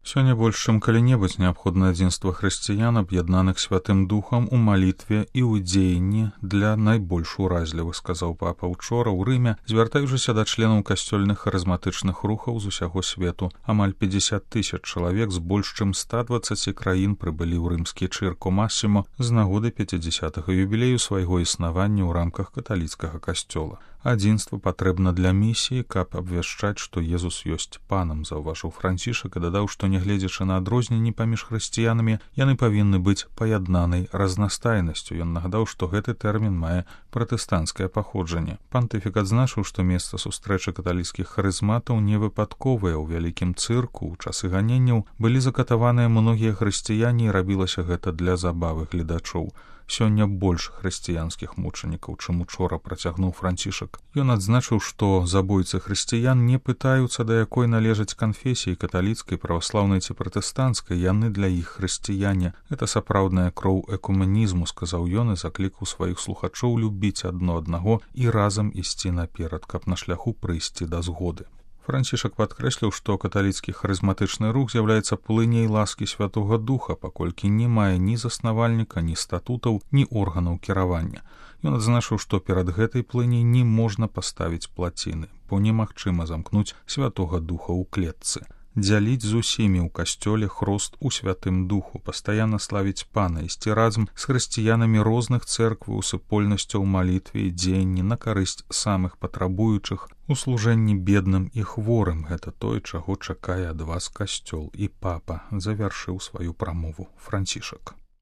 Сёння больш чым калі-небудзь неабходна адзінства хрысціян, аб'яднаных святым духам у малітве і ў дзеянні для найбольш уразлівых, сказаў папа учора ў Рыме, звяртаючыся да членаў касцёльных харызматычных рухаў з усяго свету. Амаль 50 000 чалавек з больш чым 120 краін прыбылі ў рымскі Чырко Масімо з нагоды 50-го юбілею свайго існавання ў рамках каталіцкага касцёла. Адзінства патрэбна для місіі, каб абвяшчаць, што Езус ёсць панам, заўважыў Францішак і дадаў, што нягледзячы на адрозненні паміж хрысціянамі, яны павінны быць паяднанай разнастайнасцю. Ён нагадаў, што гэты тэрмін мае пратэстанцкае паходжанне. Пантыфік адзначыў, што месца сустрэчы каталіцкіх харызматаў не выпадковыя. У вялікім цырку ў часы ганенняў былі закатаваныя многія хрысціяне і рабілася гэта для забавы гледачоў. Сёння больш хрысціянскіх мучанікаў, чым учора, працягнуў Францішак. Ён адзначыў, што забойцы хрысціян не пытаюцца, да якой належаць канфесіі каталіцкай, праваслаўнай ці пратэстанцкай, яны для іх хрысціяне. Гэта сапраўдная кроў экуменізму, сказаў ён і заклікаў сваіх слухачоў любіць адно аднаго і разам ісці наперад, каб на шляху прыйсці да згоды. Францішак падкрэсліў, што каталіцкі харызматычны рух з'яўляецца плыняй ласкі Святога Духа, паколькі не мае ні заснавальніка, ні статутаў, ні органаў кіравання. Ён адзначыў, што перад гэтай плыняй не можна паставіць плаціны, бо немагчыма замкнуць Святога Духа ў клетцы. Дзяліць з усімі ў касцёле хрост у Святым Духу, пастаянна славіць Пана, ісці разам з хрысціянамі розных цэркваў, супольнасцяў малітве і дзеянні на карысць самых патрабуючых, у служэнні бедным і хворым. Гэта тое, чаго чакае ад вас касцёл. І папа завяршыў сваю прамову Францішак.